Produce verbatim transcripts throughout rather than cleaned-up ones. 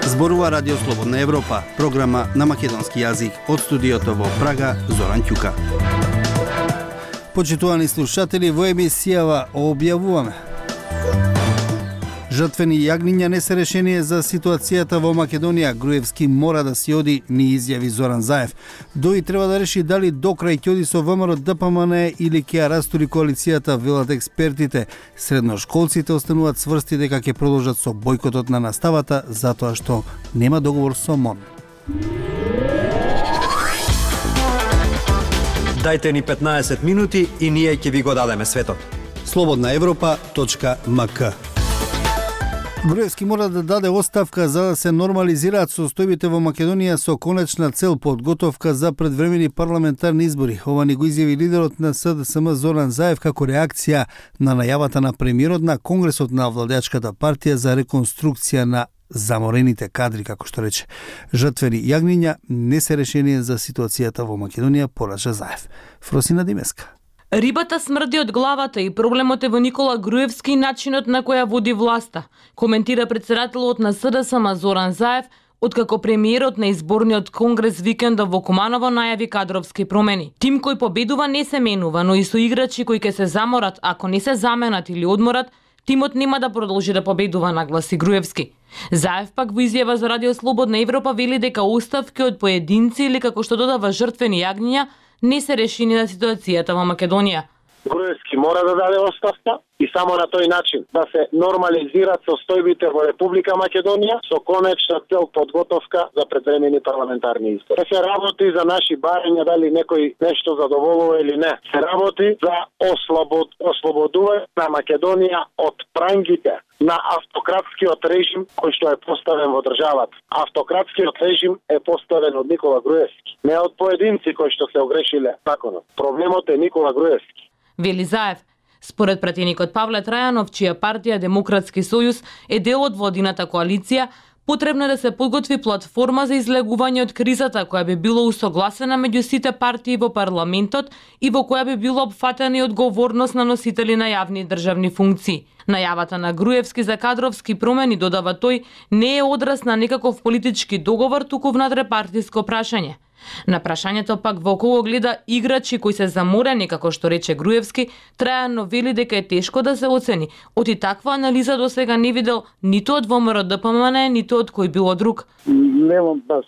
Зборува Радио Слободна Европа, програма на македонски јазик од студиото во Прага, Зоран Ќука. Почитувани слушатели, во емисијава објавуваме: жртвени јагниња не се решение за ситуацијата во Македонија. Груевски мора да си оди, ни изјави Зоран Заев. Дои треба да реши дали до крај ќе оди со ВМРО Д П М Н или ќе ја растури коалицијата, велат експертите. Средношколците остануваат сврсти дека ќе продолжат со бојкотот на наставата затоа што нема договор со МОН. Дајте ни петнаесет минути и ние ќе ви го дадеме светот. слободна европа точка м к. Груевски мора да даде оставка за да се нормализираат состојбите во Македонија со конечна цел подготовка за предвремени парламентарни избори. Ова ни го изјави лидерот на С Д С М Зоран Заев како реакција на најавата на премиерот на Конгресот на владеачката партија за реконструкција на заморените кадри, како што рече. Жртвени јагниња не се решение за ситуацијата во Македонија, порача Заев. Фросина Димеска. Рибата смрди од главата и проблемот е во Никола Груевски и начинот на која води власта, коментира претседателот на С Д С М Зоран Заев, откако премиерот на изборниот конгрес викендов во Куманово најави кадровски промени. Тим кој победува не се менува, но и со играчи кои ќе се заморат, ако не се заменат или одморат, тимот нема да продолжи да победува, нагласи Груевски. Заев пак во изјава за Радио Слободна Европа вели дека оставки од поединци или како што додава жртвени јагниња не се решени на ситуацијата во Македонија. Груевски мора да даде оставка и само на тој начин да се нормализираат состојбите во Република Македонија со конечна цел подготовка за предвремени парламентарни избори. Се работи за наши барања дали некој нешто задоволува или не. Се работи за ослобод, ослободување на Македонија од прангите на автократскиот режим кој што е поставен во државата. Автократскиот режим е поставен од Никола Груевски, не од поединци кои што се огрешиле законот. Проблемот е Никола Груевски. Вели Заев. Според пратеникот Павле Трајанов, чија партија Демократски сојуз е дел од владината коалиција, потребно е да се подготви платформа за излегување од кризата која би било усогласена меѓу сите партии во парламентот и во која би било опфатена и одговорност на носители на јавни државни функции. Најавата на Груевски за кадровски промени, додава тој, не е одраз на некаков политички договор, туку внатрепартиско прашање. На прашањето пак во кого гледа играчи кои се заморени, како што рече Груевски, Трајано вели дека е тешко да се оцени. Оти таква анализа до сега не видел ниту од ВМРО Д П М Н, ниту од кој било друг. Немам баш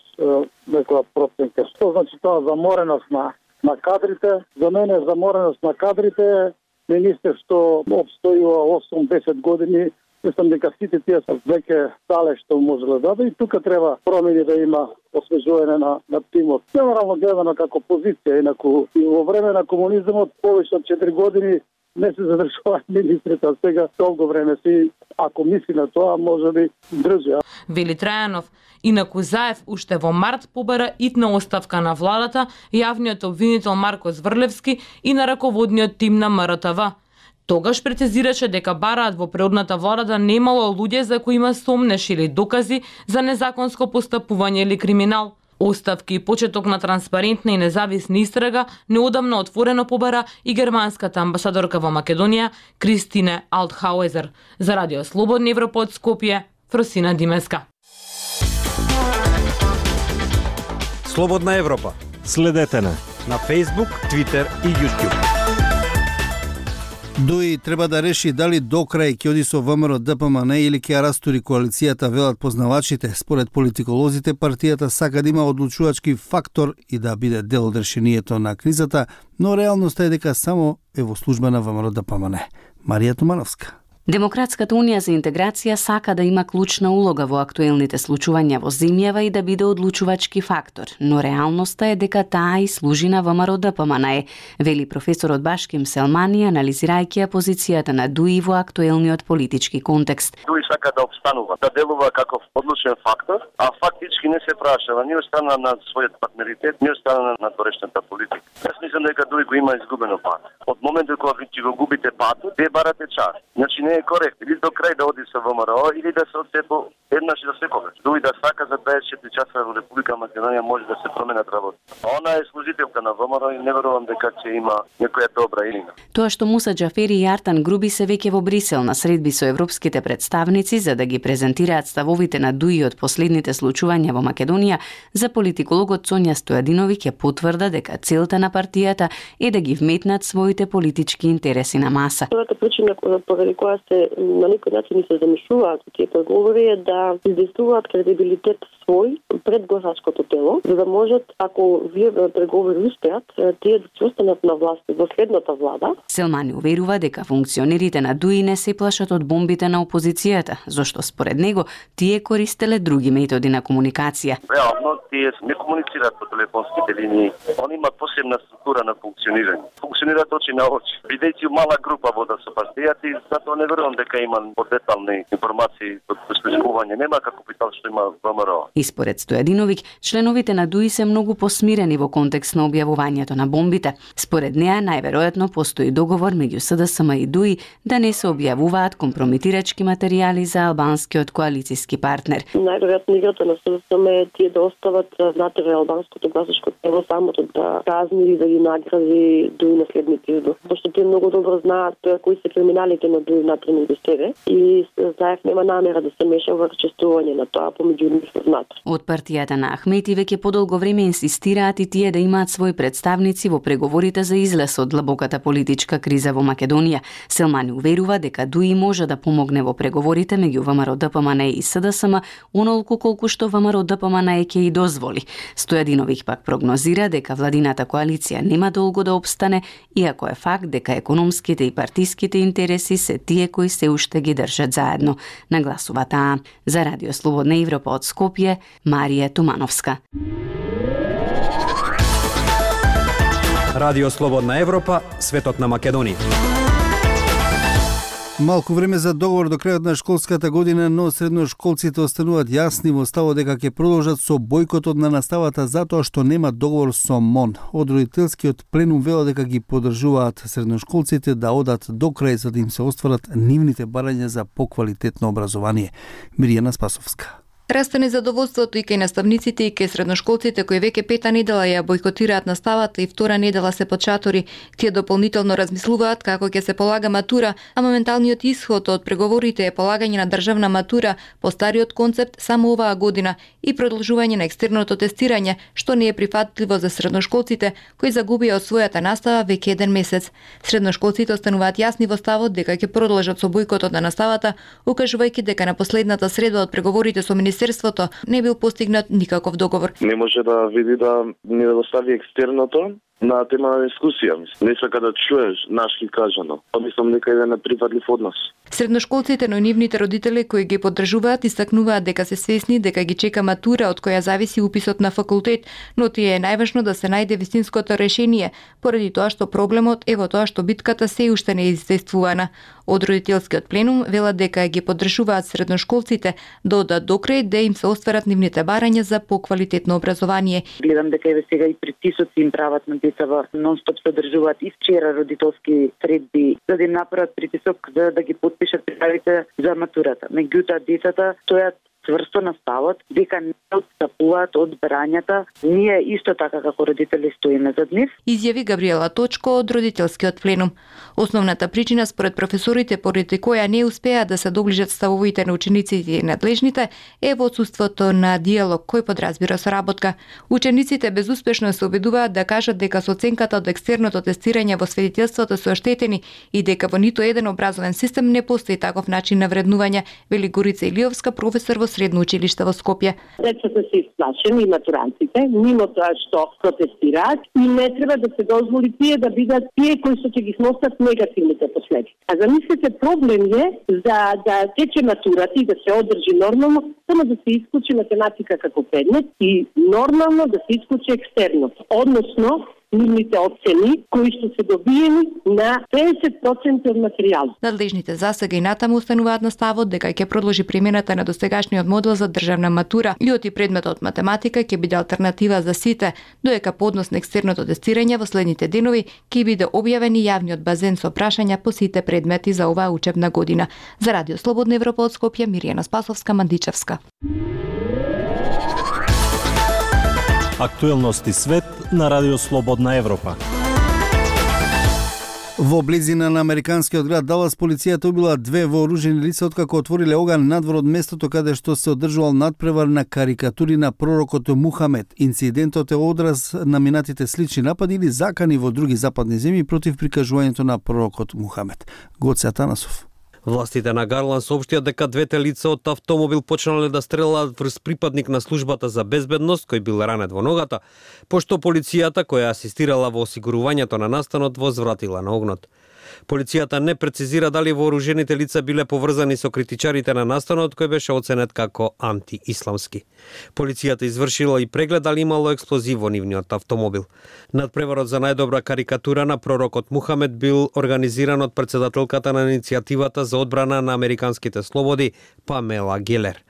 некоја проценка. Што значи тоа замореност на, на кадрите? За мене замореност на кадрите е министер што обстојува осум-десет години. Мислам дека сите тие се веќе стале што можеле да даде и тука треба промени да има освежување на, на тимот. Генерално гледано како позиција, инаку и во време на комунизмот повеќе од четири години не се задржуваат министрите, а сега долго време си, ако мисли на тоа, може би држи. Вели Трајанов. Инаку Заев уште во март побара итна оставка на владата, јавниот обвинител Марко Зврлевски и на раководниот тим на М Р Т В. Тогаш прецизираше дека бараат во предходната влада да немало луѓе за кои има сомнеш или докази за незаконско постапување или криминал. Оставки и почеток на транспарентна и независна истрага неодамна отворено побара и германската амбасадорка во Македонија Кристине Алтхауезер. За Радио Слободна Европа од Скопје, Фросина Димеска. Слободна Европа. Следете на на Facebook, Twitter и YouTube. Дои треба да реши дали до крај ќе оди со ВМРО Д П М Н или ќе ја растури коалицијата, велат познавачите. Според политиколозите, партијата сака да има одлучувачки фактор и да биде дел од решението на кризата, но реалноста е дека само е во служба на ВМРО Д П М Н. Марија Тумановска. Демократската унија за интеграција сака да има клучна улога во актуелните случувања во земјава и да биде одлучувачки фактор, но реалноста е дека таа и служи на ВМРО Д П М Н, вели професорот Башким Селмани, анализирајќи ја позицијата на ДУИ во актуелниот политички контекст. ДУИ сака да обстанува, да делува како одлучен фактор, а фактички не се прашава ни од страна на својот партнеритет, ни од страна на торешната политика. Јас мислам дека ДУИ го има изгубено пат. Од моментот кога ќе го губите патот, вие барате час. Значи не е коректно или до крај да оди со ВМРО или да се отцепи еднаш и за секогаш. Дуи да сака за дваесет и четири часа во Република Македонија може да се променат работи. А она е служителка на ВМРО и не верувам дека ќе има некоја добра илина. Тоа што Муса Џафери и Артан Груби се веќе во Брисел на средби со европските представници за да ги презентираат ставовите на Дуи од последните случувања во Македонија, за политикологот Сонја Стојадиновиќ ја потврда дека целта на партијата е да ги вметнат своите политички интереси на маса. Првата причина поради која се на некој начин се замислуваат тие преговори е да издействуваат кредибилитет свој пред гласачкото тело, за да можат, ако вие преговори успеат, тие да се останат на власт во следната влада. Селмани уверува дека функционерите на Дуи не се плашат од бомбите на опозицијата, зашто според него тие користеле други методи на комуникација. Реално тие не комуницираат по телефонските линии. Они имаат посебна структура на функционирање. Функционираат очи на очи. Бидејќи мала група вода со партијата и затоа не верувам дека има подетални информации од прислушување. Нема како питал што има ВМРО. И според Стојадиновиќ, членовите на Дуи се многу посмирени во контекст на објавувањето на бомбите. Според неа, најверојатно постои договор меѓу СДСМ и Дуи да не се објавуваат компрометирачки материјали за албанскиот коалициски партнер. Најверојатно играта на СДСМ е тие да остават внатре албанското гласачко тело самото да казни и да ги награди Дуи на следните избори. Пошто тие многу добро знаат кои се криминалите на Дуи внатре меѓу себе и Заев нема намера да се меша во честување на тоа помеѓу нив внатре. Од партијата на Ахмети веќе подолго време инсистираат и тие да имаат своји представници во преговорите за излез од длабоката политичка криза во Македонија. Селмани уверува дека Дуи може да помогне во преговорите меѓу ВМРО-ДПМН и СДСМ онолку колку што ВМРО-ДПМН ќе и дозволи. Стојадиновиќ пак прогнозира дека владината коалиција нема долго да обстане, иако е факт дека економските и партиските интереси се тие кои се уште ги држат заедно. Нагласува таа. За Радио Слободна Европа од Скопје, Марија Тумановска. Радио Слободна Европа, светот на Македонија. Малку време за договор до крајот на школската година, но средношколците остануваат јасни во ставот дека ќе продолжат со бојкотот на наставата затоа што нема договор со МОН. Од родителскиот пленум вело дека ги поддржуваат средношколците да одат до крај за да им се остварат нивните барања за поквалитетно образование. Миријана Спасовска. Расте незадоволството и кај наставниците и кај средношколците кои веќе пета недела ја бојкотираат наставата и втора недела се под шатори. Тие дополнително размислуваат како ќе се полага матура, а моменталниот исход од преговорите е полагање на државна матура по стариот концепт само оваа година и продолжување на екстерното тестирање, што не е прифатливо за средношколците кои загубија од својата настава веќе еден месец. Средношколците остануваат јасни во ставот дека ќе продолжат со бојкотот на наставата, укажувајќи дека на последната средба од преговорите со Министерството не бил постигнат никаков договор. Не може да види да не достави екстерното на тема на дискусија. Не сака да чуеш нашки кажано. Мислам дека е неприфатлив однос. Средношколците, но и нивните родители кои ги поддржуваат истакнуваат дека се свесни дека ги чека матура од која зависи уписот на факултет, но тие е најважно да се најде вистинското решение, поради тоа што проблемот е во тоа што битката се уште не е издействувана. Од родителскиот пленум велат дека ги поддржуваат средношколците да одат до крај да им се остварат нивните барања за поквалитетно образование. Гледам дека еве сега и притисоци им прават на децава, нон-стоп се држуваат и вчера родителски средби за да им направат притисок за да ги подпишат пријавите за матурата. Меѓутоа децата стојат цврсто на ставот дека не отстапуваат од барањата. Ние исто така како родители стоиме зад нив. Изјави Габриела Точко од родителскиот пленум. Основната причина според професорите поради која не успеа да се доближат ставовите на учениците и надлежните е во отсуството на диалог кој подразбира соработка. Учениците безуспешно се обидуваат да кажат дека со оценката од екстерното тестирање во свидетелството се оштетени и дека во ниту еден образовен систем не постои таков начин на вреднување, вели Горица Илиовска, професор во средно училиште во Скопје. Децата се исплашени и матурантите, мимо тоа што протестираат и не треба да се дозволи тие да бидат тие кои што ќе ги сносат негативните последици. А замислете, проблем е за да тече матурата и да се одржи нормално, само да се исклучи математика како предмет и нормално да се исклучи екстерно. Односно, нивните оцени кои што се добиени на педесет проценти од материјал. Надлежните засега и натаму устануваат на ставот дека ќе продолжи примената на достигашниот модел за државна матура и оти предметот математика ќе биде алтернатива за сите, додека по однос на екстерното тестирање во следните денови ќе биде објавен и јавниот базен со прашања по сите предмети за оваа учебна година. За Радио Слободна Европа од Скопје, Миријана Спасовска, Мандичевска. Актуелности свет на Радио Слободна Европа. Во близина на американскиот град Далас полицијата убила две вооружени лица откако отвориле оган надвор од местото каде што се одржувал надпревар на карикатури на пророкот Мухамед. Инцидентот е одраз на минатите слични напади или закани во други западни земји против прикажувањето на пророкот Мухамед. Гоце Атанасов. Властите на Гарланд соопштија дека двете лица од автомобил почнале да стрелаат врз припадник на службата за безбедност кој бил ранет во ногата, пошто полицијата која асистирала во осигурувањето на настанот возвратила на огнот. Полицијата не прецизира дали вооружените лица биле поврзани со критичарите на настанот кој беше оценет како антиисламски. Полицијата извршила и преглед дали имало експлозив во нивниот автомобил. Надпреварот за најдобра карикатура на пророкот Мухамед бил организиран од председателката на иницијативата за одбрана на американските слободи Памела Гелер.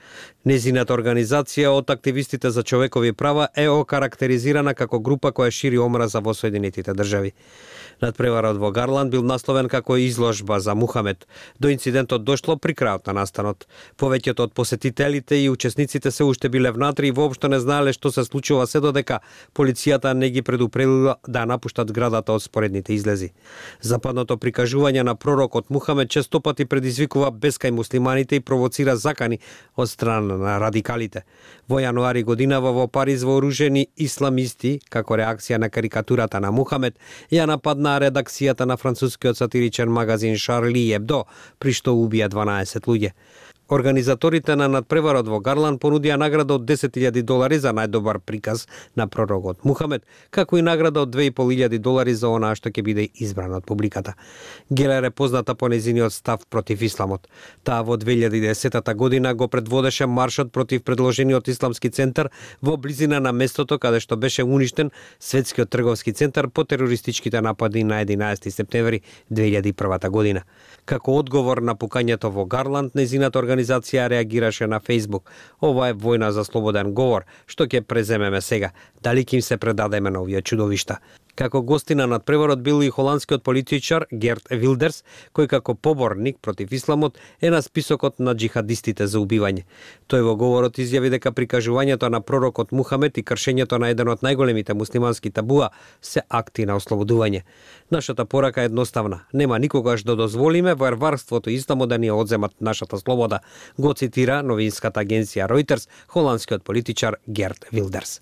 Незината организација од активистите за човекови права е окарактеризирана како група која шири омраза во Соединетите држави. Надпреварот во Гарланд бил насловен како изложба за Мухамед. До инцидентот дошло при крајот на настанот. Повеќето од посетителите и учесниците се уште биле внатре и воопшто не знаеле што се случува се додека полицијата не ги предупредила да напуштат зградата од споредните излези. Западното прикажување на пророкот Мухамед често пати предизвикува бескај муслиманите и провоцира закани од страна на радикалите. Во јануари годинава во Париз вооружени исламисти, како реакција на карикатурата на Мухамед, ја нападна редакцијата на францускиот сатиричен магазин Шарли Ебдо, при што убија дванаесет луѓе. Организаторите на надпреварот во Гарланд понудија награда од десет илјади долари за најдобар приказ на пророкот Мухамед, како и награда од две и пол илјади долари за онаа што ќе биде избран од публиката. Гелер е позната по незиниот став против исламот. Таа во две илјади и десета година го предводеше маршот против предложениот исламски центар во близина на местото каде што беше уништен светскиот трговски центар по терористичките напади на единаесети септември две илјади и прва година. Како одговор на пукањето во Гарланд, незината организација реагираше на Facebook. Ова е војна за слободен говор, што ќе преземеме сега. Дали ќе им се предадеме на овие чудовишта? Како гости на надпреварот бил и холандскиот политичар Герт Вилдерс, кој како поборник против исламот е на списокот на джихадистите за убивање. Тој во говорот изјави дека прикажувањето на пророкот Мухамед и кршењето на еден од најголемите муслимански табуа се акти на ослободување. Нашата порака е едноставна. Нема никогаш да дозволиме варварството и исламот да ни одземат нашата слобода, го цитира новинската агенција Reuters холандскиот политичар Герт Вилдерс.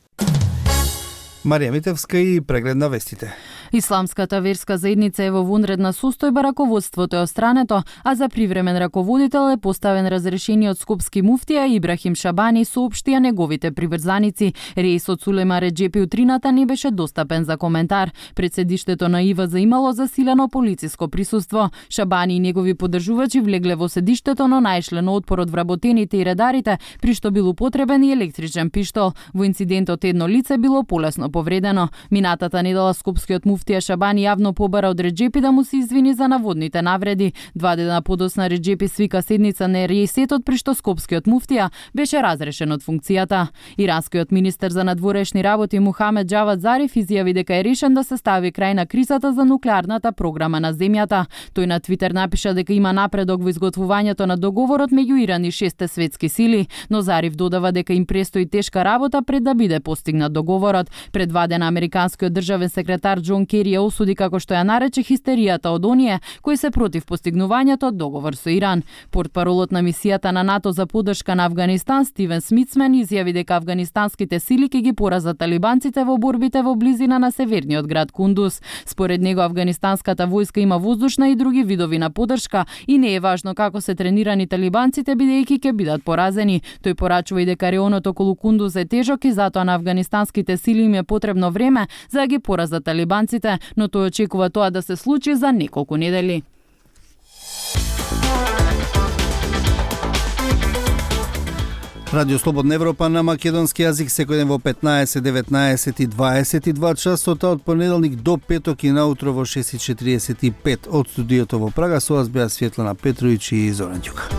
Марија Митевска и преглед на вестите. Исламската верска заедница е во вонредна состојба, раководството е острането, а за привремен раководител е поставен разрешениот скопски муфтија Ибрахим Шабани, соопштија неговите приврзаници. Реисот Сулема Реджепи утрината не беше достапен за коментар. Пред седиштето на ИВА имало засилено полициско присуство. Шабани и негови поддржувачи влегле во седиштето, но најшле на отпор од вработените и редарите, при што бил употребен и електричен пиштол. Во инцидентот едно лице било полесно повредено. Минатата недела скопскиот муфтија Шабани јавно побара од Реджепи да му се извини за наводните навреди. Два дена подосна Реджепи свика седница на Реисетот, при што скопскиот муфтија беше разрешен од функцијата. Иранскиот министер за надворешни работи Мухамед Џавад Зариф изјави дека е решен да се стави крај на кризата за нуклеарната програма на земјата. Тој на Твитер напиша дека има напредок во изготвувањето на договорот меѓу Иран и шесте светски сили, но Зариф додава дека им престои тешка работа пред да биде постигнат договорот. Пред два дена американскиот државен секретар Џон Кери ја осуди како што ја нарече хистеријата од оние кои се против постигнувањето од договор со Иран. Портпаролот на мисијата на НАТО за поддршка на Авганистан Стивен Смитсмен изјави дека афганистанските сили ќе ги поразат талибанците во борбите во близина на северниот град Кундуз. Според него афганистанската војска има воздушна и други видови на поддршка и не е важно како се тренирани талибанците бидејќи ќе бидат поразени. Тој порачува и дека реонот околу Кундуз е тежок и затоа на афганистанските сили им е потребно време за да ги поразат талибанците, но тој очекува тоа да се случи за неколку недели. Радио Слободна Европа на македонски јазик секој ден во петнаесет, деветнаесет и дваесет и два часота од понеделник до петок и наутро во шест и четириесет и пет од студиото во Прага. Со вас беа Светлана Петровиќ и Зоран Ѓука.